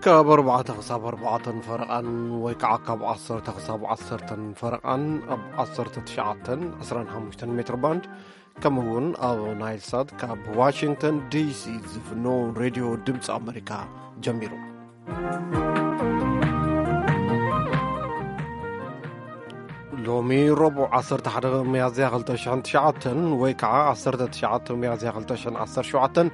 ካብ ኣርባዕተ ክሳብ ኣርባዕተን ፈረቓን ወይ ከዓ ካብ ዓሰርተ ክሳብ ዓሰርተን ፈረቓን ኣብ ዓሰርተ ትሽዓተን ዕስራን ሓሙሽተን ሜትር ባንድ፣ ከምኡ እውን ኣብ ናይል ሳት ካብ ዋሽንግተን ዲሲ ዝፍኖ ሬድዮ ድምፂ ኣመሪካ ጀሚሩ። ሎሚ ረቡዕ ዓሰርተ ሓደ ሚያዝያ ክልተ ሽሕን ትሽዓተን ወይ ከዓ ዓሰርተ ትሽዓተ ሚያዝያ ክልተ ሽሕን ዓሰርተ ሸውዓተን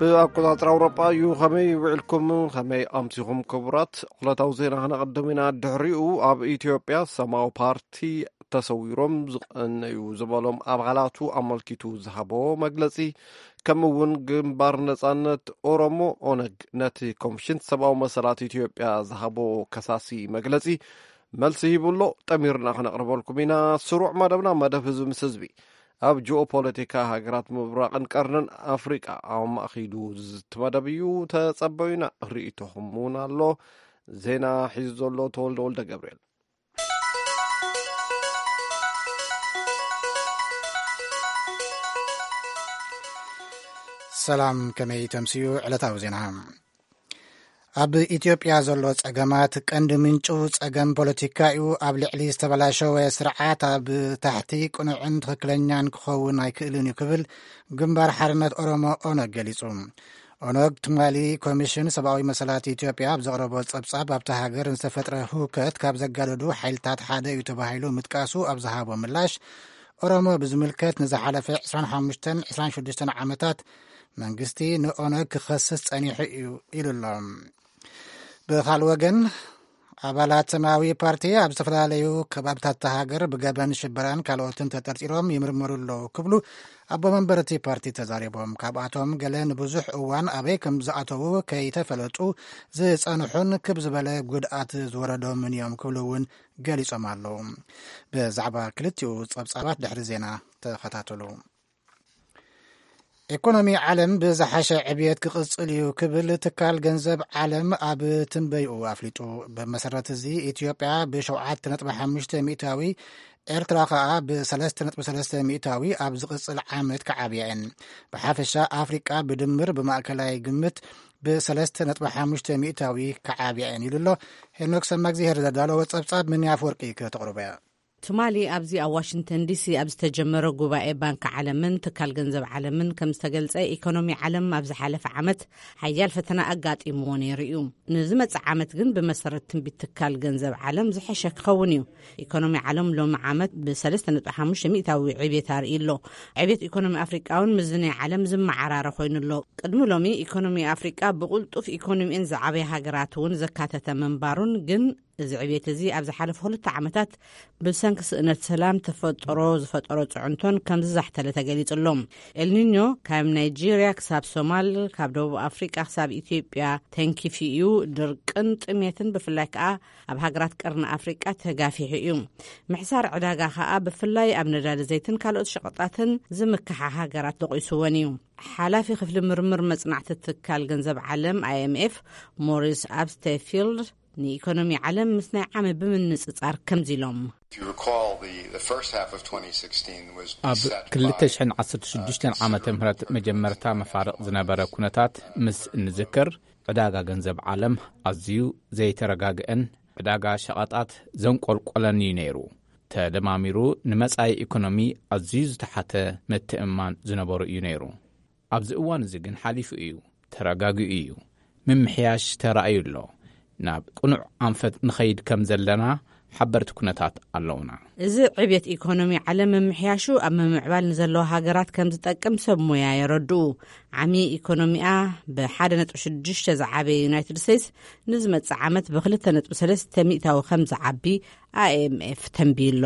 ብኣቆጻጽራ ኣውሮጳ እዩ። ከመይ ውዕልኩም? ከመይ ኣምሲኹም ክቡራት? ዕለታዊ ዜና ክነቐድም ኢና። ድሕሪኡ ኣብ ኢትዮጵያ ሰማያዊ ፓርቲ ተሰዊሮም ዝቐነዩ ዝበሎም ኣባላቱ ኣመልኪቱ ዝሃቦ መግለጺ፣ ከምኡ እውን ግንባር ነጻነት ኦሮሞ ኦነግ ነቲ ኮሚሽን ሰብኣዊ መሰላት ኢትዮጵያ ዝሃቦ ከሳሲ መግለጺ መልሲ ሂቡ ኣሎ። ጠሚርና ክነቕርበልኩም ኢና። ስሩዕ መደብና መደብ ህዝቢ ምስ ህዝቢ ኣብ ጂኦፖለቲካ ሃገራት ምብራቕን ቀርንን ኣፍሪቃ ኣማእኪሉ ዝዝቲ መደብ እዩ። ተጸበዩና፣ ርእይቶኹም እውን ኣሎ። ዜና ሒዙ ዘሎ ተወልደ ወልደ ገብርኤል። ሰላም፣ ከመይ ተምስዩ? ዕለታዊ ዜና። ኣብ ኢትዮጵያ ዘሎ ጸገማት ቀንዲ ምንጩ ጸገም ፖለቲካ እዩ። ኣብ ልዕሊ ዝተበላሸወ ስርዓት ኣብ ታሕቲ ቅኑዕን ትኽክለኛን ክኸውን ኣይክእልን እዩ ክብል ግንባር ሓርነት ኦሮሞ ኦነግ ገሊጹ። ኦነግ ትማሊ ኮሚሽን ሰብኣዊ መሰላት ኢትዮጵያ ኣብ ዘቕረቦ ጸብጻብ ኣብታ ሃገር ንዝተፈጥረ ህውከት ካብ ዘጋደዱ ሓይልታት ሓደ እዩ ተባሂሉ ምጥቃሱ ኣብ ዝሃቦ ምላሽ፣ ኦሮሞ ብዝምልከት ንዝሓለፈ ዕስራን ሓሙሽተን ዕስራን ሽዱሽተን ዓመታት መንግስቲ ንኦነግ ክኸስስ ጸኒሑ እዩ ኢሉ ኣሎ። ብኻልእ ወገን፣ ኣባላት ሰማያዊ ፓርቲ ኣብ ዝተፈላለዩ ከባብታት እታ ሃገር ብገበን ሽበራን ካልኦትን ተጠርጢሮም ይምርመሩ ኣለዉ ክብሉ ኣቦ መንበር እቲ ፓርቲ ተዛሪቦም። ካብኣቶም ገለ ንብዙሕ እዋን ኣበይ ከም ዝኣተዉ ከይተፈለጡ ዝጸንሑን ክብ ዝበለ ጉድኣት ዝወረዶምን እዮም ክብሉ እውን ገሊጾም ኣለዉ። ብዛዕባ ክልቲኡ ጸብጻባት ድሕሪ ዜና ተኸታተሉ። ኢኮኖሚ ዓለም ብዝሓሸ ዕብየት ክቕጽል እዩ ክብል ትካል ገንዘብ ዓለም ኣብ ትንበይኡ ኣፍሊጡ። ብመሰረት እዚ፣ ኢትዮጵያ ብሸውዓተ ነጥቢ ሓሙሽተ ሚእታዊ፣ ኤርትራ ከኣ ብሰለስተ ነጥቢ ሰለስተ ሚእታዊ ኣብ ዝቕጽል ዓመት ክዓብያ እየን። ብሓፈሻ ኣፍሪቃ ብድምር ብማእከላይ ግምት ብሰለስተ ነጥቢ ሓሙሽተ ሚእታዊ ክዓብያ እየን ኢሉ ኣሎ። ሄኖክ ሰማግዜር ዘዳለወ ጸብጻብ፣ ምንያ ኣፍወርቂ ከተቕርቦ እያ። ትማሊ ኣብዚ ኣብ ዋሽንግተን ዲሲ ኣብ ዝተጀመረ ጉባኤ ባንኪ ዓለምን ትካል ገንዘብ ዓለምን ከም ዝተገልጸ፣ ኢኮኖሚ ዓለም ኣብ ዝሓለፈ ዓመት ሓያል ፈተና ኣጋጢምዎ ነይሩ እዩ። ንዝመጽእ ዓመት ግን ብመሰረት ትንቢት ትካል ገንዘብ ዓለም ዝሐሸ ክኸውን እዩ። ኢኮኖሚ ዓለም ሎሚ ዓመት ብሰለስተ ነጥቢ ሓሙሽተ ሚእታዊ ዕብየት ኣርኢ ኣሎ። ዕብየት ኢኮኖሚ ኣፍሪቃ እውን ምስዚ ናይ ዓለም ዝመዓራረ ኮይኑ ኣሎ። ቅድሚ ሎሚ ኢኮኖሚ ኣፍሪቃ ብቕልጡፍ ኢኮኖሚኤን ዝዓበየ ሃገራት እውን ዘካተተ ምንባሩን ግን እዚ ዕብየት እዚ ኣብ ዝሓለፉ ክልተ ዓመታት ብሰንኪ ስእነት ሰላም ተፈጥሮ ዝፈጠሮ ጽዕንቶን ከም ዝዛሕተለ ተገሊጹ ኣሎ። ኤልኒኞ ካብ ናይጄርያ ክሳብ ሶማል፣ ካብ ደቡብ ኣፍሪቃ ክሳብ ኢትዮጵያ ተንኪፉ እዩ። ድርቅን ጥሜትን ብፍላይ ከኣ ኣብ ሃገራት ቀርኒ ኣፍሪቃ ተጋፊሑ እዩ። ምሕሳር ዕዳጋ ከኣ ብፍላይ ኣብ ነዳዲ ዘይትን ካልኦት ሸቐጣትን ዝምክሓ ሃገራት ደቂስወን እዩ። ሓላፊ ክፍሊ ምርምር መጽናዕቲ ትካል ገንዘብ ዓለም፣ ኣይ ኤም ኤፍ፣ ሞሪስ ኣብስቴፊልድ፣ ንኢኮኖሚ ዓለም ምስ ናይ ዓሚ ብምንጽጻር ከምዚ ኢሎም። If you recall, the, the first half of twenty sixteen was ኣብ beset by, ክልተ ሽሕን ዓሰርተ ሽዱሽተን ዓመተ ምህረት መጀመርታ መፋርቕ ዝነበረ ኩነታት ምስ እንዝክር፣ ዕዳጋ ገንዘብ ዓለም ኣዝዩ ዘይተረጋግአን ዕዳጋ ሸቐጣት ዘንቆልቆለን እዩ ነይሩ። ተደማሚሩ ንመጻኢ ኢኮኖሚ ኣዝዩ ዝተሓተ ምትእምማን ዝነበሮ እዩ ነይሩ። ኣብዚ እዋን እዚ ግን ሓሊፉ እዩ፣ ተረጋጊኡ እዩ። ምምሕያሽ ተራእዩ ኣሎ። ናብ ቅኑዕ ኣንፈት ንኸይድ ከም ዘለና ሓበርቲ ኩነታት ኣለውና። እዚ ዕብየት ኢኮኖሚ ዓለም ምምሕያሹ ኣብ ምምዕባል ንዘለዋ ሃገራት ከም ዝጠቅም ሰብ ሞያ የረድኡ። ዓሚ ኢኮኖሚኣ ብሓደ ነጥቢ ሽዱሽተ ዝዓበየ ዩናይትድ ስቴትስ ንዝመጽእ ዓመት ብክልተ ነጥቢ ሰለስተ ሚእታዊ ከም ዝዓቢ ኣይ ኤም ኤፍ ተንብዩ ኣሎ።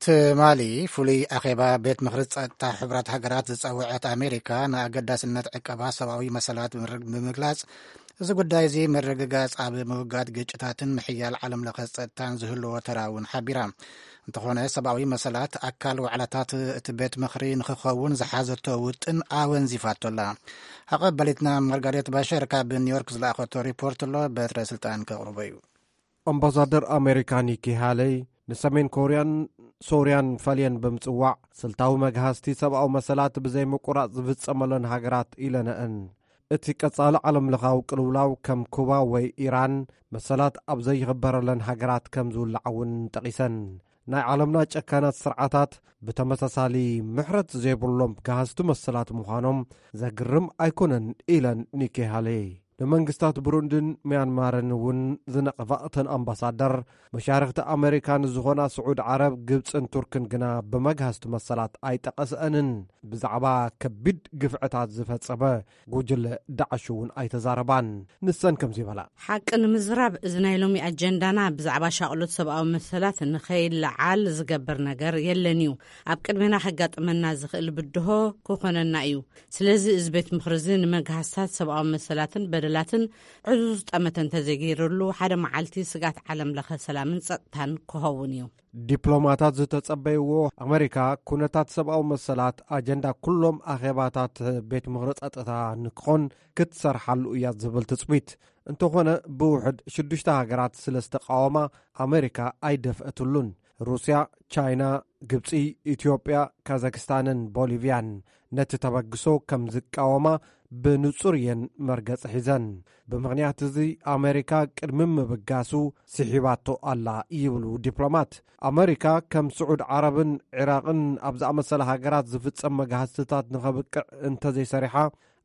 ትማሊ ፍሉይ ኣኼባ ቤት ምኽሪ ጸጥታ ሕቡራት ሃገራት ዝጸውዐት ኣሜሪካ፣ ንኣገዳስነት ዕቀባ ሰብኣዊ መሰላት ብምር-፣ ብምግላጽ፣ እዚ ጉዳይ እዚ ምርግጋጽ ኣብ ምውጋድ ግጭታትን ምሕያል ዓለም ለኸ ጸጥታን ዝህልዎ ተራ እውን ሓቢራ። እንተኾነ፣ ሰብኣዊ መሰላት ኣካል ዋዕላታት እቲ ቤት ምኽሪ ንኽኸውን ዝሓዘቶ ውጥን ኣወንዚፋቶ ኣላ። ኣቐባሊትና ማርጋሬት ባሸር ካብ ኒውዮርክ ዝለኣኸቶ ሪፖርት ኣሎ፣ በትረ ስልጣን ከቕርቦ እዩ። ኣምባሳደር ኣሜሪካ ኒኪ ሃለይ ንሰሜን ኮርያን ሶርያን ፈልየን ብምጽዋዕ፣ ስልታዊ መግሃስቲ ሰብኣዊ መሰላት ብዘይምቁራጽ ዝፍጸመለን ሃገራት ኢለነአን። እቲ ቀጻሊ ዓለምለኻዊ ቅልውላው ከም ኩባ ወይ ኢራን መሰላት ኣብ ዘይኽበረለን ሃገራት ከም ዝውላዕ እውን ጠቒሰን። ናይ ዓለምና ጨካናት ስርዓታት ብተመሳሳሊ ምሕረት ዘይብሎም ጋህስቲ መሰላት ምዃኖም ዘግርም ኣይኮነን ኢለን ኒኪ ሃሌ። ንመንግስታት ብሩንድን ሚያንማርን እውን ዝነቕፋ እተን ኣምባሳደር፣ መሻርኽቲ ኣመሪካ ንዝኾና ስዑድ ዓረብ፣ ግብፅን ቱርክን ግና ብመግሃስቲ መሰላት ኣይጠቐስአንን። ብዛዕባ ከቢድ ግፍዕታት ዝፈጸመ ጉጅለ ዳዕሽ እውን ኣይተዛረባን። ንሰን ከምዚ ይበላ። ሓቂ ንምዝራብ፣ እዚ ናይ ሎሚ ኣጀንዳና ብዛዕባ ሻቕሎት ሰብኣዊ መሰላት ንኸይለዓል ዝገብር ነገር የለን እዩ። ኣብ ቅድሜና ከጋጥመና ዝኽእል ብድሆ ክኾነና እዩ። ስለዚ እዚ ቤት ምኽሪ እዚ ንመግሃስታት ሰብኣዊ መሰላትን በደላትን ዕዙዝ ጠመተ እንተዘይገይርሉ፣ ሓደ መዓልቲ ስጋት ዓለም ለኸ ሰላምን ጸጥታን ክኸውን እዩ። ዲፕሎማታት ዝተጸበይዎ፣ ኣመሪካ ኩነታት ሰብኣዊ መሰላት ኣጀንዳ ኩሎም ኣኼባታት ቤት ምኽሪ ጸጥታ ንክኾን ክትሰርሓሉ እያ ዝብል ትጽቢት። እንተኾነ፣ ብውሕድ ሽዱሽተ ሃገራት ስለ ዝተቃወማ፣ ኣመሪካ ኣይደፍአትሉን። ሩስያ፣ ቻይና፣ ግብጺ፣ ኢትዮጵያ፣ ካዛክስታንን ቦሊቪያን ነቲ ተበግሶ ከም ዝቃወማ ብንጹር እየን መርገጺ ሒዘን። ብምኽንያት እዚ፣ ኣመሪካ ቅድሚ ምብጋሱ ስሒባቶ ኣላ ይብሉ ዲፕሎማት። ኣመሪካ ከም ስዑድ ዓረብን ዒራቕን ኣብ ዝኣመሰለ ሃገራት ዝፍጸም መግሃስትታት ንኸብቅዕ እንተዘይሰሪሓ፣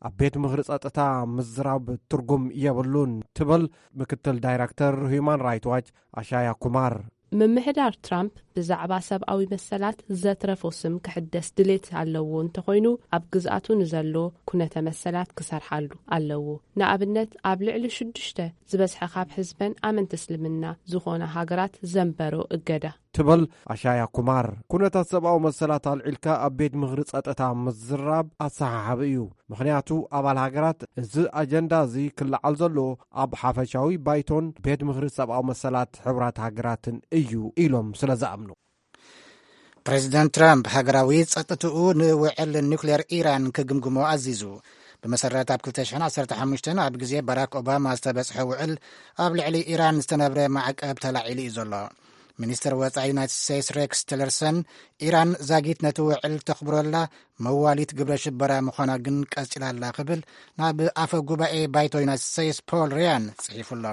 ኣብ ቤት ምኽሪ ጸጥታ ምዝራብ ትርጉም የብሉን ትብል ምክትል ዳይረክተር ሁማን ራይት ዋች ኣሻያ ኩማር። ምምሕዳር ትራምፕ ብዛዕባ ሰብኣዊ መሰላት ዘትረፎ ስም ክሕደስ ድሌት ኣለዎ እንተኾይኑ፣ ኣብ ግዝኣቱ ንዘሎ ኩነተ መሰላት ክሰርሓሉ ኣለዎ። ንኣብነት፣ ኣብ ልዕሊ ሽዱሽተ ዝበዝሐ ካብ ህዝበን ኣመንቲ እስልምና ዝኾና ሃገራት ዘንበሮ እገዳ። ትብል ኣሻያ ኩማር። ኩነታት ሰብኣዊ መሰላት ኣልዒልካ ኣብ ቤት ምኽሪ ጸጥታ ምዝራብ ኣሰሓሓቢ እዩ። ምኽንያቱ፣ ኣባል ሃገራት፣ እዚ ኣጀንዳ እዚ ክለዓል ዘለዎ ኣብ ሓፈሻዊ ባይቶን ቤት ምኽሪ ሰብኣዊ መሰላት ሕቡራት ሃገራትን እዩ ኢሎም ስለ ዝኣምኑ። ፕሬዚደንት ትራምፕ ሃገራዊ ጸጥትኡ ንውዕል ኒውክሌር ኢራን ክግምግሞ ኣዚዙ። ብመሰረት ኣብ ክልተ ሽሕን ዓሰርተ ሓሙሽተን ኣብ ግዜ ባራክ ኦባማ ዝተበጽሐ ውዕል፣ ኣብ ልዕሊ ኢራን ዝተነብረ ማዕቀብ ተላዒሉ እዩ ዘሎ። ሚኒስትር ወጻኢ ዩናይትድ ስቴትስ ሬክስ ቲለርሰን፣ ኢራን ዛጊት ነቲ ውዕል ተኽብረላ መዋሊት ግብረ ሽበራ ምዃና ግን ቀጺላ ኣላ ክብል ናብ ኣፈ ጉባኤ ባይቶ ዩናይትድ ስቴትስ ፖል ሪያን ጽሒፉ ኣሎ።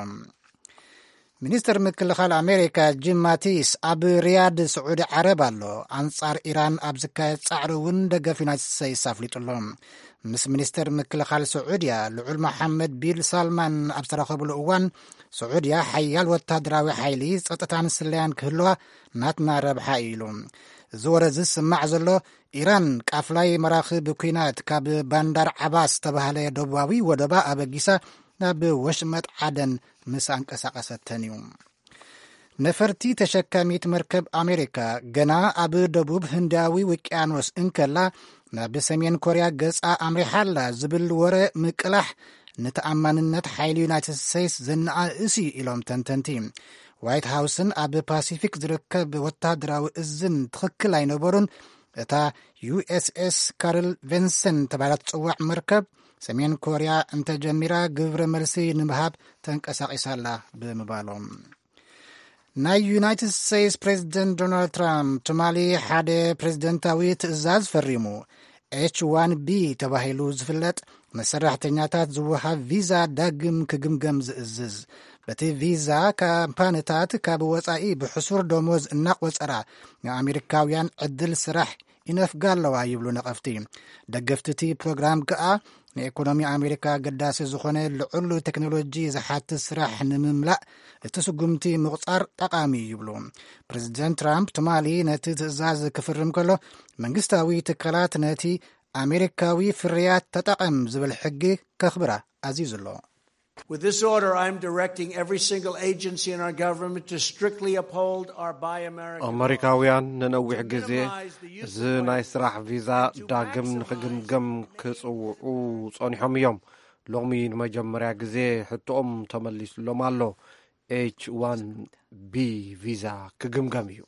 ሚኒስትር ምክልኻል ኣሜሪካ ጂም ማቲስ ኣብ ሪያድ ስዑዲ ዓረብ ኣሎ። ኣንጻር ኢራን ኣብ ዝካየድ ጻዕሪ እውን ደገፍ ዩናይትድ ስቴትስ ኣፍሊጡ ኣሎ። ምስ ሚኒስትር ምክልኻል ስዑድያ ልዑል መሓመድ ቢን ሳልማን ኣብ ዝተራኸብሉ እዋን፣ ስዑድያ ሓያል ወታደራዊ ሓይሊ፣ ጸጥታን ስለያን ክህልዋ ናትና ረብሓ እዩ ኢሉ። እዚ ወረ እዚ ዝስማዕ ዘሎ፣ ኢራን ቃፍላይ መራኽብ ኲናት ካብ ባንዳር ዓባስ ዝተባህለ ደቡባዊ ወደባ ኣበጊሳ ናብ ወሽመጥ ዓደን ምስ ኣንቀሳቐሰተን እዩ። ነፈርቲ ተሸካሚት መርከብ ኣሜሪካ ገና ኣብ ደቡብ ህንዳዊ ውቅያኖስ እንከላ፣ ናብ ሰሜን ኮርያ ገጻ ኣምሪሓ ኣላ ዝብል ወረ ምቅላሕ፣ ንተኣማንነት ሓይሊ ዩናይትድ ስቴትስ ዘነኣእስ እዩ ኢሎም ተንተንቲ። ዋይት ሃውስን ኣብ ፓሲፊክ ዝርከብ ወታደራዊ እዝን ትኽክል ኣይነበሩን። እታ ዩ ኤስ ኤስ ካርል ቪንሰን ተባሂላ ትጽዋዕ መርከብ፣ ሰሜን ኮርያ እንተጀሚራ ግብረ መልሲ ንምሃብ ተንቀሳቒሳ ኣላ ብምባሎም። ናይ ዩናይትድ ስቴትስ ፕሬዚደንት ዶናልድ ትራምፕ ትማሊ ሓደ ፕሬዚደንታዊ ትእዛዝ ፈሪሙ። ኤች ዋን ቢ ተባሂሉ ዝፍለጥ ንሰራሕተኛታት ዝወሃብ ቪዛ ዳግም ክግምገም ዝእዝዝ። በቲ ቪዛ፣ ካምፓንታት ካብ ወጻኢ ብሕሱር ደሞዝ እናቆጸራ ንኣሜሪካውያን ዕድል ስራሕ ይነፍጋ ኣለዋ ይብሉ ነቐፍቲ። ደገፍቲ እቲ ፕሮግራም ከኣ፣ ንኢኮኖሚ ኣሜሪካ ኣገዳሲ ዝኾነ ልዑል ቴክኖሎጂ ዝሓትት ስራሕ ንምምላእ እቲ ስጉምቲ ምቑጻር ጠቓሚ እዩ ይብሉ። ፕሬዚደንት ትራምፕ ትማሊ ነቲ ትእዛዝ ክፍርም ከሎ፣ መንግስታዊ ትካላት ነቲ ኣሜሪካዊ ፍርያት ተጠቐም ዝብል ሕጊ ከኽብራ ኣዚዙ ኣሎ። With this order, I'm directing every single agency in our government to strictly uphold our Buy American. ኣመሪካውያን ንነዊሕ ግዜ እዚ ናይ ስራሕ ቪዛ ዳግም ንክግምገም ክጽውዑ ጸኒሖም እዮም። ሎሚ ንመጀመርያ ግዜ ሕቶኦም ተመሊስሎም ኣሎ። ኤች ዋን ቢ ቪዛ ክግምገም እዩ።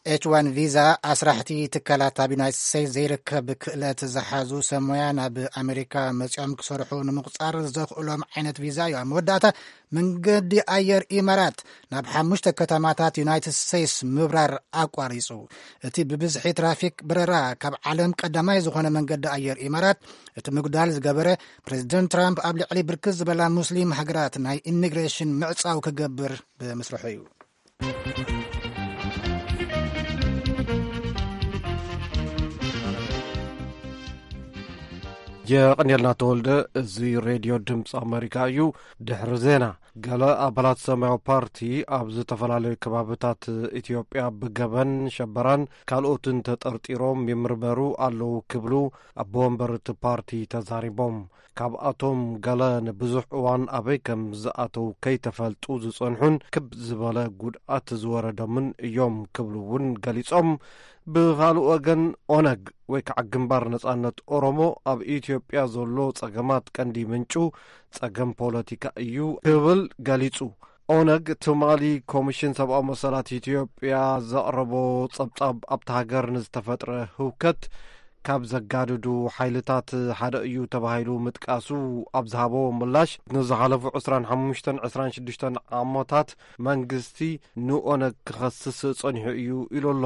ኤች ዋን ቪዛ ኣስራሕቲ ትካላት ኣብ ዩናይትድ ስቴትስ ዘይርከብ ክእለት ዝሓዙ ሰብ ሞያ ናብ ኣሜሪካ መጺኦም ክሰርሑ ንምቑጻር ዘኽእሎም ዓይነት ቪዛ እዩ። ኣብ መወዳእታ መንገዲ ኣየር ኢማራት ናብ ሓሙሽተ ከተማታት ዩናይትድ ስቴትስ ምብራር ኣቋሪጹ። እቲ ብብዝሒ ትራፊክ በረራ ካብ ዓለም ቀዳማይ ዝኾነ መንገዲ ኣየር ኢማራት እቲ ምጉዳል ዝገበረ፣ ፕሬዚደንት ትራምፕ ኣብ ልዕሊ ብርክት ዝበላ ሙስሊም ሃገራት ናይ ኢሚግሬሽን ምዕጻው ክገብር ብምስርሑ እዩ። የቐንየልና ተወልደ። እዚ ሬድዮ ድምፂ ኣሜሪካ እዩ። ድሕሪ ዜና፣ ገለ ኣባላት ሰማያዊ ፓርቲ ኣብ ዝተፈላለዩ ከባብታት ኢትዮጵያ ብገበን ሸበራን ካልኦትን ተጠርጢሮም ይምርመሩ ኣለዉ ክብሉ ኣቦ ወንበር እቲ ፓርቲ ተዛሪቦም። ካብኣቶም ገለ ንብዙሕ እዋን ኣበይ ከም ዝኣተው ከይተፈልጡ ዝጸንሑን ክብ ዝበለ ጉድኣት ዝወረዶምን እዮም ክብሉ እውን ገሊጾም። ብኻልእ ወገን፣ ኦነግ ወይ ከዓ ግንባር ነጻነት ኦሮሞ ኣብ ኢትዮጵያ ዘሎ ጸገማት ቀንዲ ምንጩ ጸገም ፖለቲካ እዩ ክብል ገሊጹ። ኦነግ ትማሊ ኮሚሽን ሰብኣዊ መሰላት ኢትዮጵያ ዘቕረቦ ጸብጻብ ኣብታ ሃገር ንዝተፈጥረ ህውከት ካብ ዘጋድዱ ሓይልታት ሓደ እዩ ተባሂሉ ምጥቃሱ ኣብ ዝሃቦ ምላሽ፣ ንዝሓለፉ ዕስራን ሓሙሽተን ዕስራን ሽዱሽተን ዓመታት መንግስቲ ንኦነግ ክኸስስ ጸኒሑ እዩ ኢሉ ኣሎ።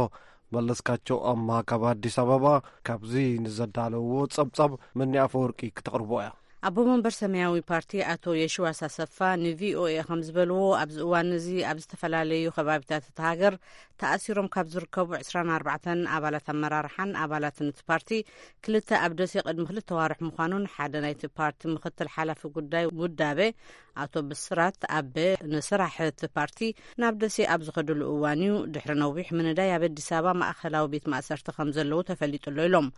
መለስካቸው ኣማ ካብ ኣዲስ ኣበባ ካብዚ ንዘዳለዎ ጸብጻብ መኒ ኣፈወርቂ ክተቕርቦ እያ። ኣቦ መንበር ሰማያዊ ፓርቲ ኣቶ የሽዋስ ኣሰፋ ንቪኦኤ ከም ዝበልዎ፣ ኣብዚ እዋን እዚ ኣብ ዝተፈላለዩ ከባቢታት እታ ሃገር ተኣሲሮም ካብ ዝርከቡ ዕስራን ኣርባዕተን ኣባላት ኣመራርሓን ኣባላትን እቲ ፓርቲ፣ ክልተ ኣብ ደሴ ቅድሚ ክልተ ዋርሕ ምዃኑን ሓደ ናይቲ ፓርቲ ምክትል ሓላፊ ጉዳይ ውዳበ ኣቶ ብስራት ኣበ ንስራሕ እቲ ፓርቲ ናብ ደሴ ኣብ ዝኸድሉ እዋን እዩ። ድሕሪ ነዊሕ ምንዳይ ኣብ ኣዲስ ኣበባ ማእኸላዊ ቤት ማእሰርቲ ከም ዘለዉ ተፈሊጡ ኣሎ ኢሎም።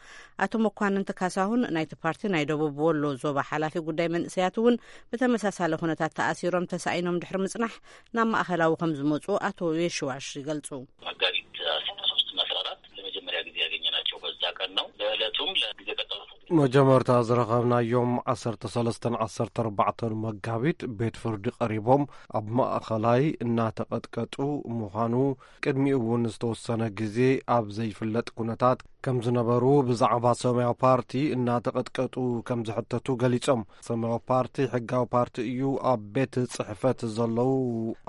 ኣቶ መኳንንቲ ካሳሁን ናይቲ ፓርቲ ናይ ደቡብ ወሎ ዞባ ሓላፊ ጉዳይ መንእሰያት እውን ብተመሳሳሊ ኩነታት ተኣሲሮም ተሳኢኖም ድሕሪ ምጽናሕ ናብ ማእኸላዊ ከም ዝመጹ ኣቶ የሽዋሽ ይገልጹ። መጋቢት አስራ ሶስት እና አስራ አራት ለመጀመሪያ ጊዜ ያገኘናቸው በዛ ቀን ነው። በዕለቱም ለጊዜ ቀጠሮ መጀመርታ ዝረኸብናዮም ዓሰርተ ሰለስተን ዓሰርተ ኣርባዕተን መጋቢት ቤት ፍርዲ ቀሪቦም ኣብ ማእኸላይ እናተቐጥቀጡ ምዃኑ፣ ቅድሚኡ እውን ዝተወሰነ ግዜ ኣብ ዘይፍለጥ ኩነታት ከም ዝነበሩ፣ ብዛዕባ ሰማያዊ ፓርቲ እናተቐጥቀጡ ከም ዝሕተቱ ገሊጾም። ሰማያዊ ፓርቲ ሕጋዊ ፓርቲ እዩ፣ ኣብ ቤት ጽሕፈት ዘለዉ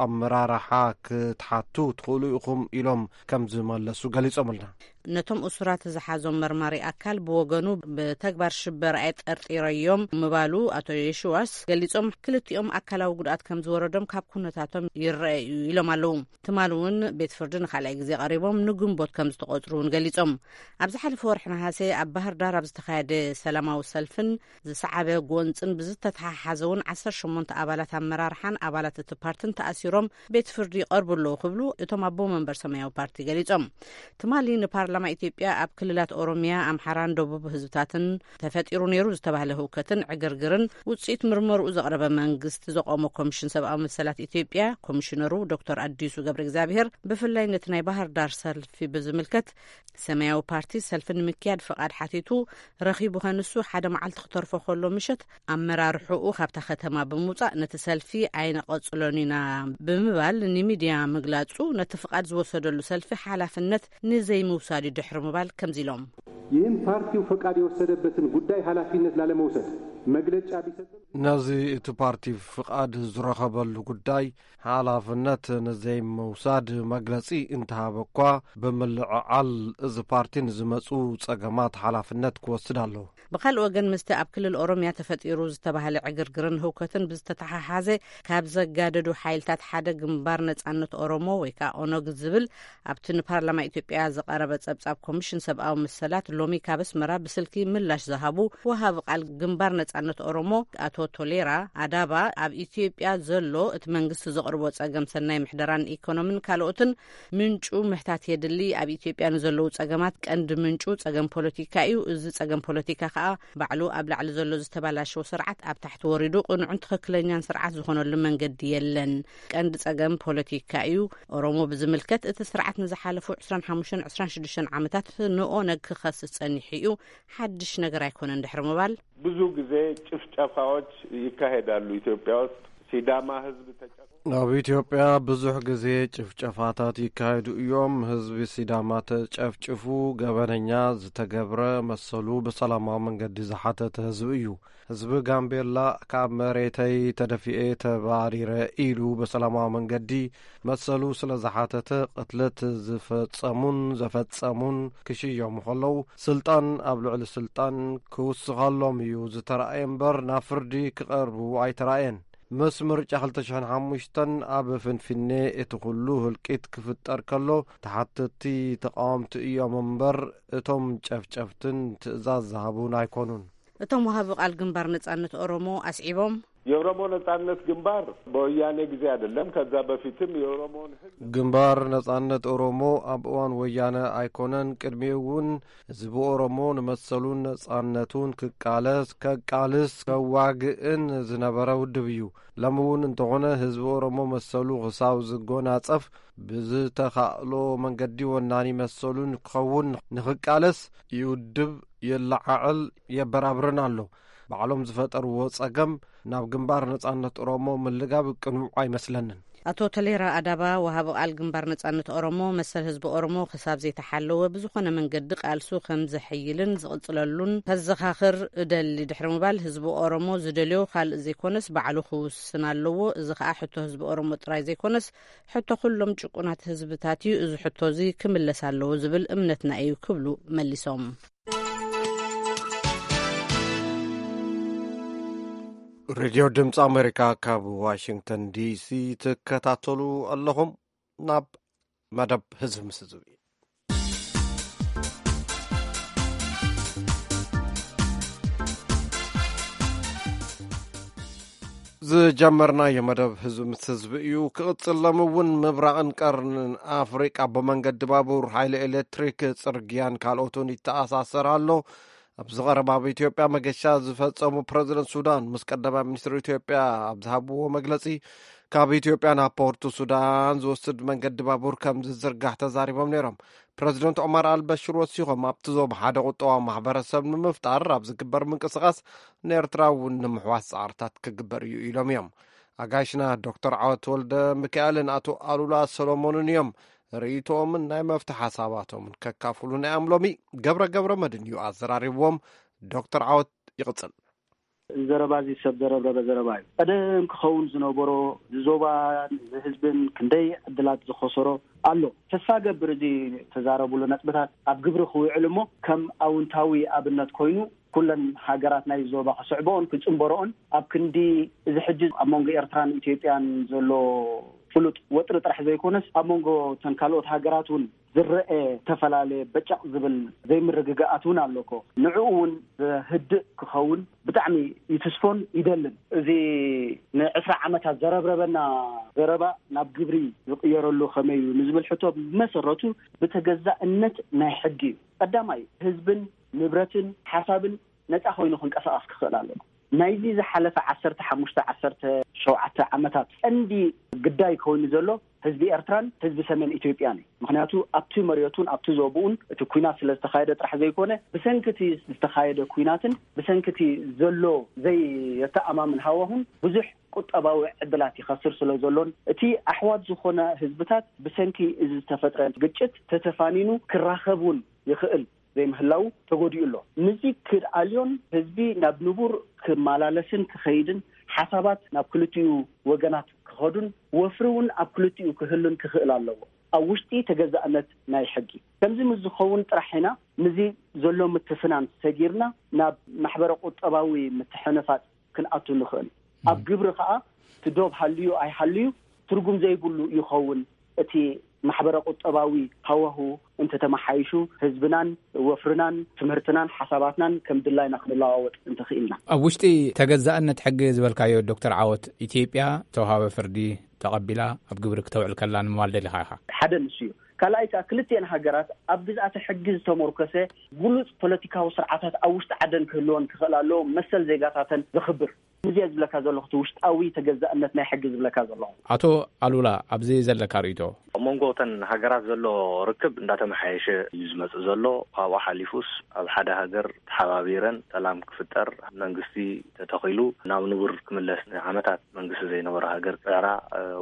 ኣመራርሓ ክትሓቱ ትኽእሉ ኢኹም ኢሎም ከም ዝመለሱ ገሊጾምልና። ነቶም እሱራት ዝሓዞም መርማሪ ኣካል ብወገኑ ብተግባር ሽበራ እየ ጠርጢረዮም ምባሉ ኣቶ የሽዋስ ገሊጾም፣ ክልቲኦም ኣካላዊ ጉድኣት ከም ዝወረዶም ካብ ኩነታቶም ይረአ እዩ ኢሎም ኣለዉ። ትማሊ እውን ቤት ፍርዲ ንኻልኣይ ግዜ ቀሪቦም ንግንቦት ከም ዝተቖጽሩ እውን ገሊጾም። ኣብ ዝሓለፈ ወርሒ ነሃሰ ኣብ ባህር ዳር ኣብ ዝተኻየደ ሰላማዊ ሰልፍን ዝሰዓበ ጎንጽን ብዝተተሓሓዘ እውን ዓሰርተ ሸሞንተ ኣባላት ኣመራርሓን ኣባላት እቲ ፓርትን ተኣሲሮም ቤት ፍርዲ ይቐርቡ ኣለዉ ክብሉ እቶም ኣቦ መንበር ሰማያዊ ፓርቲ ገሊጾም። ትማሊ ንፓርላማ ኢትዮጵያ ኣብ ክልላት ኦሮሚያ፣ ኣምሓራን ደቡብ ህዝብታትን ተፈጢሩ ነይሩ ዝተባህለ ህውከትን ዕግርግርን ውጽኢት ምርመርኡ ዘቕረበ መንግስቲ ዘቆሞ ኮሚሽን ሰብኣዊ መሰላት ኢትዮጵያ ኮሚሽነሩ ዶክተር ኣዲሱ ገብረ እግዚኣብሔር ብፍላይ ነቲ ናይ ባህር ዳር ሰልፊ ብዝምልከት ሰማያዊ ፓርቲ ሰልፊ ንምክያድ ፍቓድ ሓቲቱ ረኺቡ ከንሱ ሓደ መዓልቲ ክተርፎ ከሎ ምሸት ኣመራርሕኡ ካብታ ከተማ ብምውጻእ ነቲ ሰልፊ ኣይነቐጽሎን ኢና ብምባል ንሚድያ ምግላጹ ነቲ ፍቓድ ዝወሰደሉ ሰልፊ ሓላፍነት ንዘይምውሳድ እዩ ድሕሪ ምባል ከምዚ ኢሎም። ይህን ፓርቲው ፈቃድ የወሰደበትን ጉዳይ ኃላፊነት ላለመውሰድ መግለጫ ቢሰጥም ነዚ እቲ ፓርቲ ፍቓድ ዝረኸበሉ ጉዳይ ሓላፍነት ንዘይምውሳድ መግለጺ እንተሃበ እኳ፣ ብምልዕዓል እዚ ፓርቲ ንዝመጹ ጸገማት ሓላፍነት ክወስድ ኣለዎ። ብኻልእ ወገን፣ ምስቲ ኣብ ክልል ኦሮምያ ተፈጢሩ ዝተባህለ ዕግርግርን ህውከትን ብዝተተሓሓዘ ካብ ዘጋደዱ ሓይልታት ሓደ ግንባር ነጻነት ኦሮሞ ወይ ከዓ ኦነግ ዝብል ኣብቲ ንፓርላማ ኢትዮጵያ ዝቐረበ ጸብጻብ ኮሚሽን ሰብኣዊ መሰላት ሎሚ ካብ ኣስመራ ብስልኪ ምላሽ ዝሃቡ ወሃቢ ቃል ግንባር ነጻነት ኦሮሞ ኣቶ ቶሌራ ኣዳባ ኣብ ኢትዮጵያ ዘሎ እቲ መንግስቲ ዘቕርቦ ጸገም ሰናይ ምሕደራን ኢኮኖምን ካልኦትን ምንጩ ምሕታት የድሊ። ኣብ ኢትዮጵያ ንዘለዉ ጸገማት ቀንዲ ምንጩ ጸገም ፖለቲካ እዩ። እዚ ጸገም ፖለቲካ ከኣ ባዕሉ ኣብ ላዕሊ ዘሎ ዝተባላሸወ ስርዓት ኣብ ታሕቲ ወሪዱ ቅኑዕን ትኽክለኛን ስርዓት ዝኾነሉ መንገዲ የለን። ቀንዲ ጸገም ፖለቲካ እዩ። ኦሮሞ ብዝምልከት እቲ ስርዓት ንዝሓለፉ ዕስራን ሓሙሽተን ዕስራን ሽዱሽተን ዓመታት ንኦነግ ክኸስስ ጸኒሑ እዩ። ሓድሽ ነገር ኣይኮነን ድሕሪ ምባል ብዙ ጊዜ ጭፍጨፋዎች ይካሄዳሉ ኢትዮጵያ ውስጥ። ሲዳማ ህዝብ ተጨ ኣብ ኢትዮጵያ ብዙሕ ግዜ ጭፍጨፋታት ይካየዱ እዮም። ህዝቢ ሲዳማ ተጨፍጭፉ፣ ገበነኛ ዝተገብረ መሰሉ ብሰላማዊ መንገዲ ዝሓተተ ህዝቢ እዩ። ህዝቢ ጋምቤላ ካብ መሬተይ ተደፊኤ ተባሪረ ኢሉ ብሰላማዊ መንገዲ መሰሉ ስለ ዝሓተተ፣ ቅትለት ዝፈጸሙን ዘፈጸሙን ክሽየሙ ከለዉ፣ ስልጣን ኣብ ልዕሊ ስልጣን ክውስኸሎም እዩ ዝተራእየ እምበር ናብ ፍርዲ ክቐርቡ ኣይተራእየን። ምስ ምርጫ ክልተ ሽሕን ሓሙሽተን ኣብ ፍንፍኔ እቲ ኩሉ ህልቂት ክፍጠር ከሎ፣ ተሓተትቲ ተቓወምቲ እዮም እምበር፣ እቶም ጨፍጨፍትን ትእዛዝ ዝሃቡን ኣይኮኑን። እቶም ወሃቢ ቃል ግንባር ነጻነት ኦሮሞ ኣስዒቦም፣ የኦሮሞ ነጻነት ግንባር በወያኔ ጊዜ አይደለም፣ ከዛ በፊትም የኦሮሞን ህዝብ ግንባር ነጻነት ኦሮሞ ኣብ እዋን ወያነ ኣይኮነን፣ ቅድሚኡ እውን ህዝቢ ኦሮሞ ንመሰሉን ነጻነቱን ክቃለስ፣ ከቃልስ፣ ከዋግእን ዝነበረ ውድብ እዩ። ሎሚ እውን እንተኾነ ህዝቢ ኦሮሞ መሰሉ ክሳብ ዝጎናጸፍ ብዝተኻእሎ መንገዲ ወናኒ መሰሉን ክኸውን ንኽቃለስ ይውድብ፣ የለዓዕል፣ የበራብርን ኣሎ። ባዕሎም ዝፈጠርዎ ጸገም ናብ ግንባር ነጻነት ኦሮሞ ምልጋብ ቅኑዕ ኣይመስለንን። ኣቶ ተሌራ ኣዳባ፣ ወሃቢ ቃል ግንባር ነጻነት ኦሮሞ፣ መሰል ህዝቢ ኦሮሞ ክሳብ ዘይተሓለወ ብዝኾነ መንገዲ ቃልሱ ከም ዘሐይልን ዝቕጽለሉን ከዘኻኽር እደሊ ድሕሪ ምባል፣ ህዝቢ ኦሮሞ ዝደልዮ ካልእ ዘይኮነስ ባዕሉ ክውስን ኣለዎ። እዚ ከኣ ሕቶ ህዝቢ ኦሮሞ ጥራይ ዘይኮነስ ሕቶ ኩሎም ጭቁናት ህዝብታት እዩ። እዚ ሕቶ እዚ ክምለስ ኣለዎ ዝብል እምነትና እዩ ክብሉ መሊሶም። ሬድዮ ድምፂ ኣሜሪካ ካብ ዋሽንግተን ዲሲ ትከታተሉ ኣለኹም። ናብ መደብ ህዝቢ ምስ ህዝቢ ዝጀመርናዮ መደብ ህዝቢ ምስ ህዝቢ እዩ ክቕጽል። ሎሚ እውን ምብራቕን ቀርንን ኣፍሪቃ ብመንገዲ ባቡር፣ ሓይሊ ኤሌክትሪክ፣ ጽርግያን ካልኦትን ይተኣሳሰር ኣሎ። ኣብዚ ቀረባ ኣብ ኢትዮጵያ መገሻ ዝፈጸሙ ፕረዚደንት ሱዳን ምስ ቀዳማይ ሚኒስትር ኢትዮጵያ ኣብ ዝሃብዎ መግለጺ፣ ካብ ኢትዮጵያ ናብ ፖርቱ ሱዳን ዝወስድ መንገዲ ባቡር ከም ዝዝርጋሕ ተዛሪቦም ነይሮም። ፕረዚደንት ዑመር ኣልበሽር ወሲኾም፣ ኣብቲ ዞባ ሓደ ቁጠባዊ ማሕበረሰብ ንምፍጣር ኣብ ዝግበር ምንቅስቓስ ንኤርትራ እውን ንምሕዋስ ጻዕርታት ክግበር እዩ ኢሎም እዮም። ኣጋይሽና ዶክተር ዓወት ወልደ ሚካኤልን ኣቶ ኣሉላ ሰሎሞንን እዮም ርእይቶኦምን ናይ መፍትሒ ሓሳባቶምን ከካፍሉና እዮም። ሎሚ ገብረ ገብረ መድን እዩ ኣዘራሪብዎም። ዶክተር ዓወት ይቕጽል። እዚ ዘረባ እዚ ሰብ ዘረብረበ ዘረባ እዩ። ቀደም ክኸውን ዝነበሮ፣ እዚ ዞባን እዚ ህዝብን ክንደይ ዕድላት ዝኸሰሮ ኣሎ። ተስፋ ገብር፣ እዚ ተዛረብሉ ነጥብታት ኣብ ግብሪ ክውዕል እሞ፣ ከም ኣውንታዊ ኣብነት ኮይኑ ኩለን ሃገራት ናይ ዞባ ክስዕበኦን ክጽንበረኦን፣ ኣብ ክንዲ እዚ ሕጂ ኣብ መንጎ ኤርትራን ኢትዮጵያን ዘሎ ፍሉጥ ወጥሪ ጥራሕ ዘይኮነስ፣ ኣብ መንጎ እተን ካልኦት ሃገራት እውን ዝረአ ዝተፈላለየ በጨቕ ዝብል ዘይምርግጋኣት እውን ኣሎ እኮ። ንዕኡ እውን ዘህድእ ክኸውን ብጣዕሚ ይትስፎን ይደልን። እዚ ንዕስራ ዓመታት ዘረብረበና ዘረባ ናብ ግብሪ ዝቕየረሉ ከመይ እዩ ንዝብል ሕቶ፣ ብመሰረቱ ብተገዛእነት ናይ ሕጊ እዩ። ቀዳማይ፣ ህዝብን ንብረትን ሓሳብን ነጻ ኮይኑ ክንቀሳቐስ ክኽእል ኣለዎ። ናይዚ ዝሓለፈ ዓሰርተ ሓሙሽተ፣ ዓሰርተ ሸውዓተ ዓመታት ቀንዲ ግዳይ ኮይኑ ዘሎ ህዝቢ ኤርትራን ህዝቢ ሰሜን ኢትዮጵያን እዩ። ምኽንያቱ ኣብቲ መሬቱን ኣብቲ ዞብኡን እቲ ኲናት ስለ ዝተኻየደ ጥራሕ ዘይኮነ፣ ብሰንኪ እቲ ዝተኻየደ ኲናትን ብሰንኪ እቲ ዘሎ ዘየተኣማምን ሃዋሁን ብዙሕ ቁጠባዊ ዕድላት ይኸስር ስለ ዘሎን፣ እቲ ኣሕዋት ዝኾነ ህዝብታት ብሰንኪ እዚ ዝተፈጥረ ግጭት ተተፋኒኑ ክራኸብ እውን ይኽእል ዘይምህላው ተጎዲኡ ኣሎ። ንዚ ክድኣልዮን ህዝቢ ናብ ንቡር ክመላለስን ክኸይድን፣ ሓሳባት ናብ ክልቲኡ ወገናት ክኸዱን ወፍሪ እውን ኣብ ክልቲኡ ክህሉን ክኽእል ኣለዎ፣ ኣብ ውሽጢ ተገዛእነት ናይ ሕጊ። ከምዚ ምስ ዝኸውን ጥራሕ ኢና ንዚ ዘሎ ምትፍናን ሰጊርና ናብ ማሕበረ ቁጠባዊ ምትሕንፋጽ ክንኣቱ ንኽእል። ኣብ ግብሪ ከኣ እቲ ዶብ ሃልዩ ኣይሃልዩ ትርጉም ዘይብሉ ይኸውን። እቲ ማሕበረ ቁጠባዊ ሃዋሁ እንተተመሓይሹ፣ ህዝብናን ወፍርናን ትምህርትናን ሓሳባትናን ከም ድላይና ክንለዋወጥ እንተኽኢልና። ኣብ ውሽጢ ተገዛእነት ሕጊ ዝበልካዮ ዶክተር ዓወት፣ ኢትዮጵያ ተውሃበ ፍርዲ ተቐቢላ ኣብ ግብሪ ክተውዕል ከላ ንምባል ደሊኻ ኢኻ? ሓደ ንሱ እዩ። ካልኣይ ከኣ ክልቲኤን ሃገራት ኣብ ግዝኣተ ሕጊ ዝተሞርከሰ ግሉጽ ፖለቲካዊ ስርዓታት ኣብ ውሽጢ ዓደን ክህልወን ክኽእል ኣለዎ፣ መሰል ዜጋታተን ዘኽብር። እዚ እየ ዝብለካ ዘለኹ፣ እቲ ውሽጣዊ ተገዛእነት ናይ ሕጊ ዝብለካ ዘለኹ። ኣቶ ኣሉላ፣ ኣብዚ ዘለካ ርእይቶ? ኣብ መንጎ እተን ሃገራት ዘሎ ርክብ እንዳተመሓየሸ እዩ ዝመጽእ ዘሎ። ካብኡ ሓሊፉስ ኣብ ሓደ ሃገር ተሓባቢረን ሰላም ክፍጠር፣ መንግስቲ ተተኺሉ ናብ ንቡር ክምለስ ንዓመታት መንግስቲ ዘይነበሮ ሃገር ክጽዕራ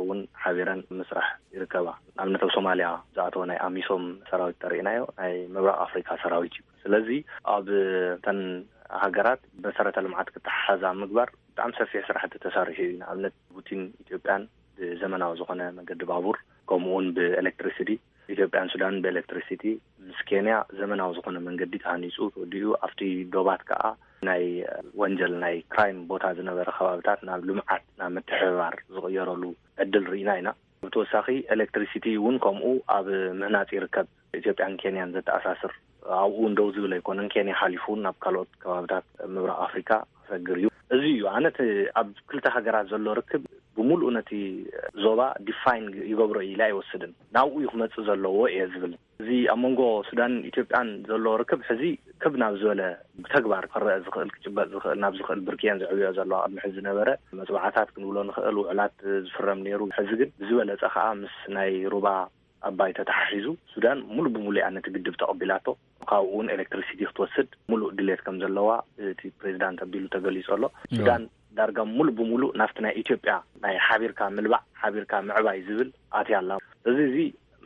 እውን ሓቢረን ምስራሕ ይርከባ። ንኣብነት ኣብ ሶማልያ ዝኣተወ ናይ ኣሚሶም ሰራዊት ተርእናዮ ናይ ምብራቕ ኣፍሪካ ሰራዊት እዩ። ስለዚ ኣብ እተን ሃገራት መሰረተ ልምዓት ክተሓሓዛ ምግባር ብጣዕሚ ሰፊሕ ስራሕቲ ተሳሪሑ እዩ። ንኣብነት ቡቲን ኢትዮጵያን ብዘመናዊ ዝኾነ መንገዲ ባቡር፣ ከምኡውን ብኤሌክትሪሲቲ፣ ኢትዮጵያን ሱዳን ብኤሌክትሪሲቲ፣ ምስ ኬንያ ዘመናዊ ዝኾነ መንገዲ ተሃኒፁ ተወዲኡ፣ ኣብቲ ዶባት ከዓ ናይ ወንጀል ናይ ክራይም ቦታ ዝነበረ ከባብታት ናብ ልምዓት ናብ ምትሕብባር ዝቕየረሉ ዕድል ርኢና ኢና። ብተወሳኺ ኤሌክትሪሲቲ እውን ከምኡ ኣብ ምህናፅ ይርከብ። ኢትዮጵያን ኬንያን ዘተኣሳስር ኣብኡ እንደው ዝብል ኣይኮነን። ኬንያ ሓሊፉ እውን ናብ ካልኦት ከባብታት ምብራቕ ኣፍሪካ ክሰግር እዩ። እዚ እዩ ኣነ እቲ ኣብ ክልተ ሃገራት ዘሎ ርክብ ብምሉእ ነቲ ዞባ ዲፋይን ይገብሮ ኢለ ኣይወስድን። ናብኡ እዩ ክመፅእ ዘለዎ እየ ዝብል። እዚ ኣብ መንጎ ሱዳን ኢትዮጵያን ዘሎ ርክብ ሕዚ ክብ ናብ ዝበለ ብተግባር ክረአ ዝኽእል ክጭበጥ ዝኽእል ናብ ዝኽእል ብርኪ እየን ዘዕብዮ ዘለዋ። ቅድሚ ሕዚ ዝነበረ መፅዋዕታት ክንብሎ ንኽእል ውዕላት ዝፍረም ነይሩ። ሕዚ ግን ብዝበለፀ ከዓ ምስ ናይ ሩባ ኣባይ ተተሓሒዙ ሱዳን ሙሉ ብሙሉ እያ ነቲ ግድብ ተቐቢላቶ። ካብኡ እውን ኤሌክትሪሲቲ ክትወስድ ሙሉእ ድሌት ከም ዘለዋ እቲ ፕሬዚዳንት ኣቢሉ ተገሊጹ ኣሎ። ሱዳን ዳርጋ ሙሉ ብሙሉ ናብቲ ናይ ኢትዮጵያ ናይ ሓቢርካ ምልባዕ ሓቢርካ ምዕባይ ዝብል ኣትያ ኣላ። እዚ እዚ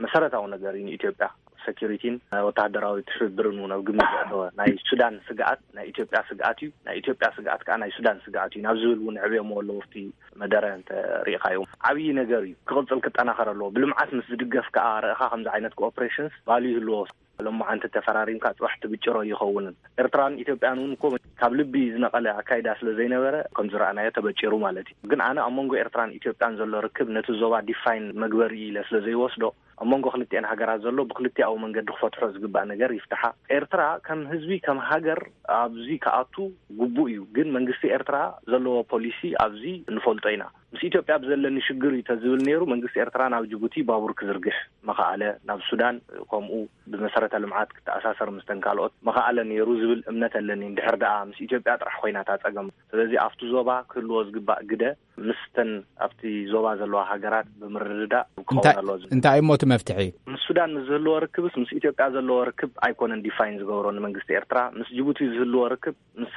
መሰረታዊ ነገር እዩ ንኢትዮጵያ። ሴኪሪቲን ወተሃደራዊ ትሕብብርን እውን ኣብ ግምት ዘእተወ ናይ ሱዳን ስግኣት ናይ ኢትዮጵያ ስግኣት እዩ፣ ናይ ኢትዮጵያ ስግኣት ከዓ ናይ ሱዳን ስግኣት እዩ ናብ ዝብል እውን ዕብዮሞ ኣለዉ። ኣብቲ መደረ እንተ ሪኢኻዮም ዓብዪ ነገር እዩ። ክቕፅል ክጠናኸር ኣለዎ። ብልምዓት ምስ ዝድገፍ ከዓ ርኢኻ ከምዚ ዓይነት ኮኦፕሬሽንስ ቫልዩ ይህልዎ። ሎማዓንቲ ተፈራሪምካ ፅባሕ ትብጭሮ ይኸውንን። ኤርትራን ኢትዮጵያን እውን እኮ ካብ ልቢ ዝነቐለ ኣካይዳ ስለ ዘይነበረ ከም ዝረኣናዮ ተበጭሩ ማለት እዩ። ግን ኣነ ኣብ መንጎ ኤርትራን ኢትዮጵያን ዘሎ ርክብ ነቲ ዞባ ዲፋይን መግበሪ ኢለ ስለ ዘይወስዶ ኣብ መንጎ ክልቲኤን ሃገራት ዘሎ ብክልቲኣዊ መንገዲ ክፈትሖ ዝግባእ ነገር ይፍትሓ። ኤርትራ ከም ህዝቢ ከም ሃገር ኣብዚ ክኣቱ ግቡእ እዩ። ግን መንግስቲ ኤርትራ ዘለዎ ፖሊሲ ኣብዚ ንፈልጦ ኢና። ምስ ኢትዮጵያ ብዘለኒ ሽግር እዩ ተዝብል ነይሩ መንግስቲ ኤርትራ ናብ ጅቡቲ ባቡር ክዝርግሕ መኸኣለ፣ ናብ ሱዳን ከምኡ ብመሰረተ ልምዓት ክተኣሳሰር ምስተን ካልኦት መኸኣለ ነይሩ ዝብል እምነት ኣለኒ። እንድሕር ደኣ ምስ ኢትዮጵያ ጥራሕ ኮይና እታ ጸገም። ስለዚ ኣብቲ ዞባ ክህልዎ ዝግባእ ግደ ምስተን ኣብቲ ዞባ ዘለዋ ሃገራት ብምርድዳእ ክኸውን እንታይ ኣለዎ ዝብል። እንታይ እሞ እቲ መፍትሒ? ምስ ሱዳን ምስ ዝህልዎ ርክብስ ምስ ኢትዮጵያ ዘለዎ ርክብ ኣይኮነን ዲፋይን ዝገብሮ ንመንግስቲ ኤርትራ። ምስ ጅቡቲ ዝህልዎ ርክብ ምስ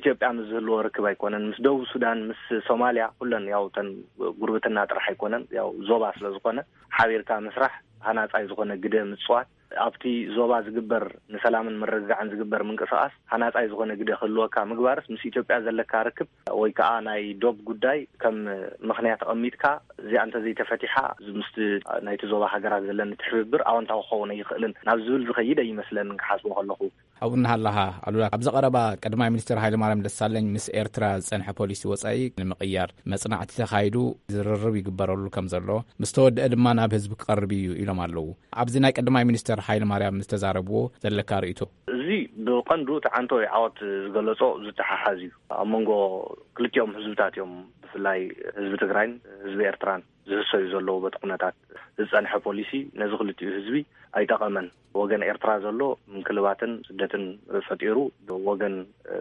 ኢትዮጵያ ምስ ዝህልዎ ርክብ ኣይኮነን። ምስ ደቡብ ሱዳን፣ ምስ ሶማልያ፣ ኩለን ያው እተን ጉርብትና ጥራሕ ኣይኮነን፣ ያው ዞባ ስለ ዝኾነ ሓቢርካ ምስራሕ፣ ሃናጻይ ዝኾነ ግደ ምጽዋት፣ ኣብቲ ዞባ ዝግበር ንሰላምን ምርግጋዕን ዝግበር ምንቅስቓስ ሃናጻይ ዝኾነ ግደ ክህልወካ ምግባርስ ምስ ኢትዮጵያ ዘለካ ርክብ ወይ ከዓ ናይ ዶብ ጉዳይ ከም ምኽንያት ኣቐሚጥካ እዚኣ እንተዘይተፈቲሓ ምስቲ ናይቲ ዞባ ሃገራት ዘለኒ ትሕብብር ኣወንታዊ ክኸውን ኣይኽእልን ናብ ዝብል ዝኸይድ ኣይመስለንን ክሓስቦ ከለኹ። ኣብኡ እናሃለኻ ኣሉላ፣ ኣብዚ ቀረባ ቀዳማይ ሚኒስትር ሃይለማርያም ደሳለኝ ምስ ኤርትራ ዝጸንሐ ፖሊሲ ወጻኢ ንምቕያር መጽናዕቲ ተኻይዱ ዝርርብ ይግበረሉ ከም ዘሎ፣ ምስ ተወድአ ድማ ናብ ህዝቢ ክቐርብ እዩ ኢሎም ኣለዉ። ኣብዚ ናይ ቀዳማይ ሚኒስትር ሃይለማርያም ዝተዛረብዎ ዘለካ ርእይቶ? እዚ ብቐንዱ እቲ ዓንቶ ወይ ዓወት ዝገለጾ ዝተሓሓዝ እዩ። ኣብ መንጎ ክልቲኦም ህዝብታት እዮም፣ ብፍላይ ህዝቢ ትግራይን ህዝቢ ኤርትራን ዝህሰዩ ዘለዉ በቲ ኩነታት ዝጸንሐ ፖሊሲ ነዚ ክልቲኡ ህዝቢ ኣይጠቐመን። ወገን ኤርትራ ዘሎ ምንክልባትን ስደትን ፈጢሩ፣ ወገን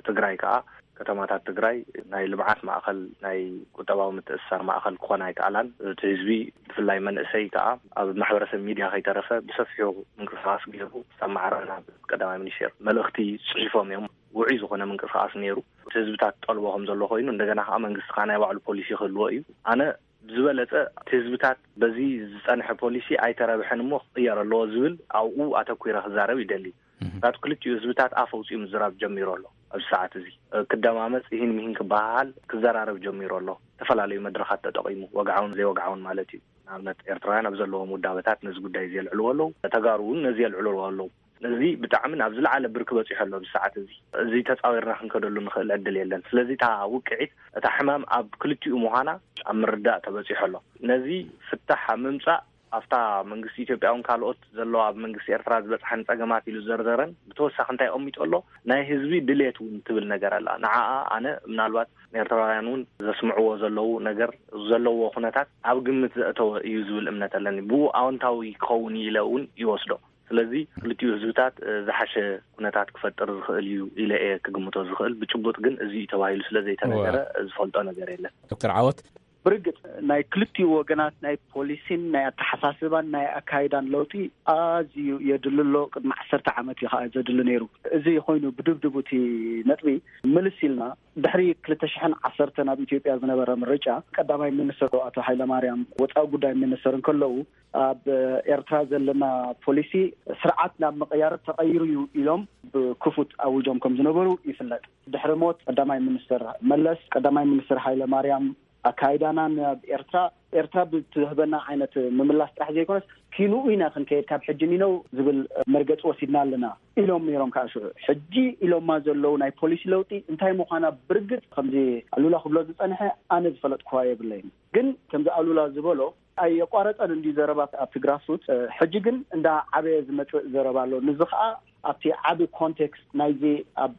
ትግራይ ከኣ ከተማታት ትግራይ ናይ ልምዓት ማእኸል፣ ናይ ቁጠባዊ ምትእስሳር ማእኸል ክኾና ኣይከኣላን። እቲ ህዝቢ ብፍላይ መንእሰይ ከኣ ኣብ ማሕበረሰብ ሚድያ ከይተረፈ ብሰፊሑ ምንቅስቃስ ገይሩ፣ ሳብ ማዕረ ናብ ቀዳማይ ሚኒስቴር መልእኽቲ ጽሒፎም እዮም። ውዑይ ዝኾነ ምንቅስቃስ ነይሩ። እቲ ህዝብታት ጠልቦ ከም ዘሎ ኮይኑ፣ እንደገና ከኣ መንግስቲ ከኣ ናይ ባዕሉ ፖሊሲ ክህልዎ እዩ። ኣነ ብዝበለጸ እቲ ህዝብታት በዚ ዝጸንሐ ፖሊሲ ኣይተረብሐን እሞ ክቕየር ኣለዎ ዝብል ኣብኡ ኣተኲረ ክዛረብ ይደሊ። ምክንያቱ ክልቲኡ ህዝብታት ኣፍ ኣውጺኡ ምዝራብ ጀሚሩ ኣሎ። ኣብዚ ሰዓት እዚ ክደማመጽ፣ ይህን ሚህን ክበሃሃል ክዘራረብ ጀሚሩ ኣሎ። ዝተፈላለዩ መድረኻት ተጠቒሙ፣ ወግዓውን ዘይወግዓውን ማለት እዩ። ንኣብነት ኤርትራውያን ኣብ ዘለዎም ውዳበታት ነዚ ጉዳይ እዚ የልዕልዎ ኣለዉ። ተጋሩ እውን ነዚ የልዕልዎ ኣለዉ። ስለዚ ብጣዕሚ ናብ ዝለዓለ ብርኪ በጺሑ ኣሎ ኣብዚ ሰዓት እዚ። እዚ ተጻዊርና ክንከደሉ ንኽእል ዕድል የለን። ስለዚ እታ ውቅዒት፣ እታ ሕማም ኣብ ክልቲኡ ምዃና ኣብ ምርዳእ ተበጺሑ ኣሎ። ነዚ ፍታሕ ኣብ ምምጻእ ኣብታ መንግስቲ ኢትዮጵያ እውን ካልኦት ዘለዋ ኣብ መንግስቲ ኤርትራ ዝበጽሐን ጸገማት ኢሉ ዘርዘረን ብተወሳኺ እንታይ ኣቐሚጡ ኣሎ? ናይ ህዝቢ ድሌት እውን ትብል ነገር ኣላ። ንዓኣ ኣነ ምናልባት ንኤርትራውያን እውን ዘስምዕዎ ዘለዉ ነገር ዘለዎ ኩነታት ኣብ ግምት ዘእተወ እዩ ዝብል እምነት ኣለኒ። ብኡ ኣወንታዊ ክኸውን እዩ ኢለ እውን ይወስዶ። ስለዚ ክልቲኡ ህዝብታት ዝሓሸ ኩነታት ክፈጥር ዝኽእል እዩ ኢለ እየ ክግምቶ ዝኽእል። ብጭቡጥ ግን እዚ እዩ ተባሂሉ ስለ ዘይተነገረ ዝፈልጦ ነገር የለን። ዶክተር ዓወት? ብርግጽ ናይ ክልቲኡ ወገናት ናይ ፖሊሲን ናይ ኣተሓሳስባን ናይ ኣካይዳን ለውጢ ኣዝዩ የድሊ ኣሎ። ቅድሚ ዓሰርተ ዓመት እዩ ከዓ ዘድሊ ነይሩ። እዚ ኮይኑ ብድብድቡ እቲ ነጥቢ ምልስ ኢልና ድሕሪ ክልተ ሽሕን ዓሰርተ ናብ ኢትዮጵያ ዝነበረ ምርጫ ቀዳማይ ሚኒስትር ኣቶ ሃይለማርያም ወፃኢ ጉዳይ ሚኒስትር እንከለዉ ኣብ ኤርትራ ዘለና ፖሊሲ ስርዓት ናብ ምቕያር ተቐይሩ እዩ ኢሎም ብክፉት ኣውጆም ከም ዝነበሩ ይፍለጥ። ድሕሪ ሞት ቀዳማይ ሚኒስትር መለስ ቀዳማይ ሚኒስትር ሃይለማርያም ኣካይዳና ናብ ኤርትራ ኤርትራ ብትህበና ዓይነት ምምላስ ጥራሕ ዘይኮነስ ኪንኡ ኢና ክንከይድ ካብ ሕጂ ሚነው ዝብል መርገፂ ወሲድና ኣለና ኢሎም ነይሮም። ከዓ ሽዑ ሕጂ ኢሎማ ዘለዉ ናይ ፖሊሲ ለውጢ እንታይ ምዃና ብርግፅ ከምዚ ኣሉላ ክብሎ ዝፀንሐ ኣነ ዝፈለጥኩዋ የብለይን። ግን ከምዚ ኣሉላ ዝበሎ ኣየቋረፀን እንዲ ዘረባ ኣብቲ ግራስሩት ሕጂ ግን እንዳ ዓበየ ዝመፅእ ዘረባ ኣሎ። ንዚ ከዓ ኣብቲ ዓቢ ኮንቴክስት ናይዚ ኣብ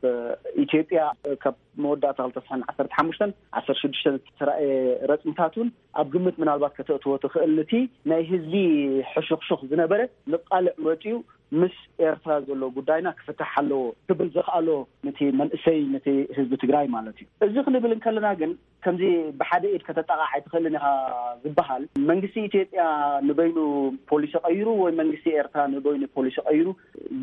ኢትዮጵያ ካብ መወዳእታ ክልተ ሽሕን ዓሰርተ ሓሙሽተን ዓሰርተ ሽዱሽተን ዝተራእየ ረፅምታት እውን ኣብ ግምት ምናልባት ከተእትዎ ትኽእል። ንቲ ናይ ህዝቢ ሕሹኽሹኽ ዝነበረ ንቃልዕ መፅዩ ምስ ኤርትራ ዘሎ ጉዳይና ክፍታሕ ኣለዎ ክብል ዘኽኣሎ ንቲ መንእሰይ ንቲ ህዝቢ ትግራይ ማለት እዩ። እዚ ክንብል እንከለና ግን ከምዚ ብሓደ ኢድ ከተጣቓዕ ኣይትኽእልን ኢኻ ዝበሃል መንግስቲ ኢትዮጵያ ንበይኑ ፖሊሲ ቀይሩ ወይ መንግስቲ ኤርትራ ንበይኑ ፖሊሲ ቀይሩ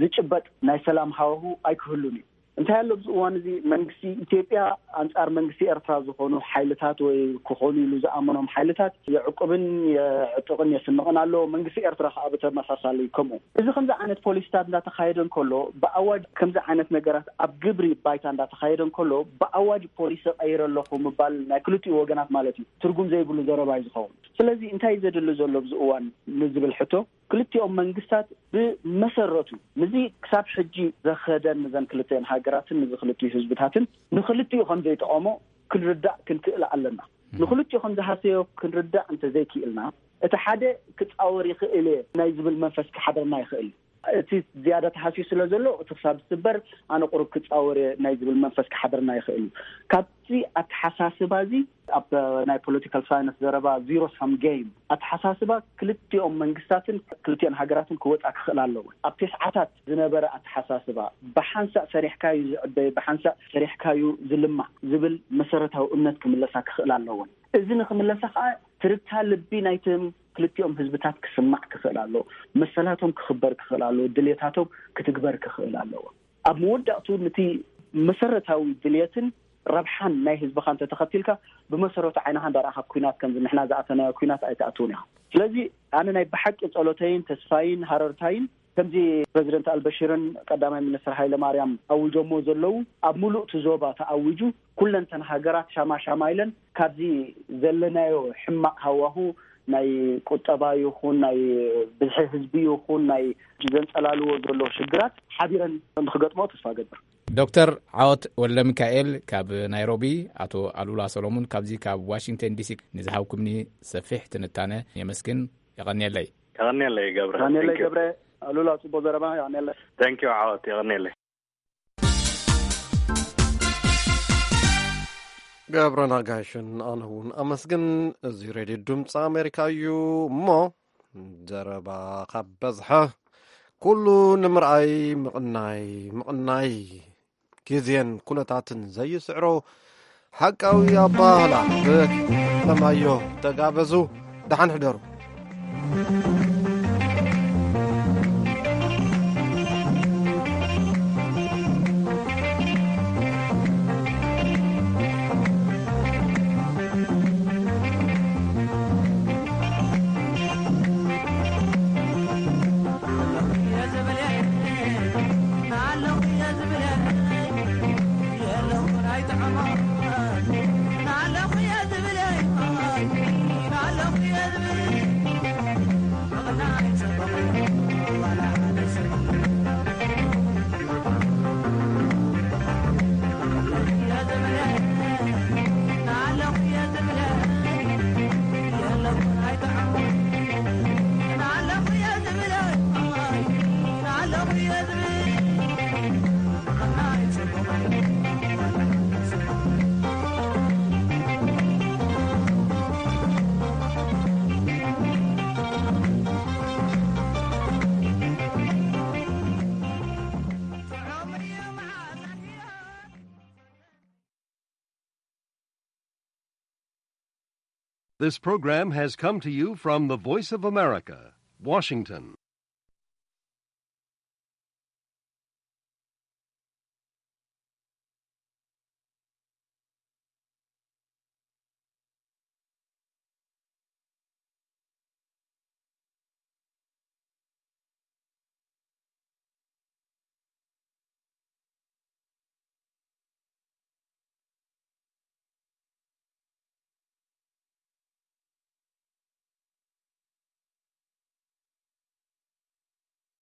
ዝጭበጥ ናይ ሰላም ሃዋሁ ኣይክህሉን እዩ። እንታይ ኣሎ ኣብዚ እዋን እዚ መንግስቲ ኢትዮጵያ ኣንጻር መንግስቲ ኤርትራ ዝኾኑ ሓይልታት ወይ ክኾኑ ኢሉ ዝኣመኖም ሓይልታት የዕቁብን የዕጥቕን የስንቕን ኣሎ። መንግስቲ ኤርትራ ከዓ ብተመሳሳሊ ከምኡ። እዚ ከምዚ ዓይነት ፖሊሲታት እንዳተኻየደ እንከሎ ብኣዋጅ ከምዚ ዓይነት ነገራት ኣብ ግብሪ ባይታ እንዳተኻየደ እንከሎ ብኣዋጅ ፖሊሲ ቀይረ ኣለኹ ምባል ናይ ክልቲኡ ወገናት ማለት እዩ ትርጉም ዘይብሉ ዘረባ እዩ ዝኸውን። ስለዚ እንታይ እዩ ዘድሊ ዘሎ ኣብዚ እዋን ንዝብል ሕቶ ክልቲኦም መንግስታት ብመሰረቱ ንዚ ክሳብ ሕጂ ዘኸደን ንዘን ክልቲኦን ሃገራትን ንዚ ክልቲኡ ህዝብታትን ንክልቲኡ ከም ዘይጠቐሞ ክንርዳእ ክንክእል ኣለና። ንክልቲኡ ከም ዝሃሰዮ ክንርዳእ እንተ ዘይክእልና እቲ ሓደ ክፃወር ይኽእል እየ ናይ ዝብል መንፈስ ክሓደርና ይኽእል። እቲ ዝያዳ ተሃስዩ ስለ ዘሎ እቲ ክሳብ ዝስበር ኣነ ቁሩብ ክፃወር እየ ናይ ዝብል መንፈስ ክሓደርና ይኽእል እዩ። ካብዚ ኣተሓሳስባ እዚ ኣብ ናይ ፖለቲካል ሳይንስ ዘረባ ዚሮ ሳም ጌም ኣተሓሳስባ ክልቲኦም መንግስታትን ክልቲኦን ሃገራትን ክወፃ ክኽእል ኣለዎ። ኣብ ተስዓታት ዝነበረ ኣተሓሳስባ ብሓንሳእ ሰሪሕካዩ ዝዕበይ ብሓንሳእ ሰሪሕካዩ ዝልማዕ ዝብል መሰረታዊ እምነት ክምለሳ ክኽእል ኣለዎን። እዚ ንክምለሳ ከዓ ትርታ ልቢ ናይቶም ክልቲኦም ህዝብታት ክስማዕ ክኽእል ኣለዎ። መሰላቶም ክኽበር ክኽእል ኣለዎ። ድልየታቶም ክትግበር ክኽእል ኣለዎ። ኣብ መወዳእቱ ንቲ መሰረታዊ ድልየትን ረብሓን ናይ ህዝብኻ እንተተኸቲልካ ብመሰረቱ ዓይንኻ እንዳረኣኻ ኩናት ከምዚ ንሕና ዝኣተናዮ ኩናት ኣይትኣትውን ኢኻ። ስለዚ ኣነ ናይ ብሓቂ ጸሎተይን ተስፋይን ሃረርታይን ከምዚ ፕረዚደንት ኣልበሽርን ቀዳማይ ሚኒስትር ሃይለ ማርያም ኣውጆሞ ዘለዉ ኣብ ሙሉእ እቲ ዞባ ተኣዊጁ ኩለንተን ሃገራት ሻማ ሻማ ኢለን ካብዚ ዘለናዮ ሕማቕ ሃዋሁ ናይ ቁጠባ ይኹን ናይ ብዝሒ ህዝቢ ይኹን ናይ ዘንጸላልዎ ዘሎ ሽግራት ሓቢረን ንክገጥሞ ተስፋ ገብር። ዶክተር ዓወት ወልደሚካኤል ካብ ናይሮቢ፣ ኣቶ ኣሉላ ሰሎሙን ካብዚ ካብ ዋሽንግተን ዲሲ ንዝሃብኩምኒ ሰፊሕ ትንታነ የመስግን። የቐንየለይ። የቐንየለይ ገብረ። ዳንኤል ገብረ። ኣሉላ ጽቡቕ ዘረባ። የቐንየለይ። Thank you ዓወት። የቐንየለይ። ገብረ ናጋሽን ኣነ እውን ኣመስግን። እዚ ሬድዮ ድምፂ ኣሜሪካ እዩ እሞ ዘረባ ካብ በዝሐ ኩሉ ንምርኣይ ምቕናይ ምቕናይ ግዜን ኩነታትን ዘይስዕሮ ሓቃዊ ኣባህላ ብለማዮ ተጋበዙ። ደሓን ሕደሩ። This program has come to you from the Voice of America, Washington.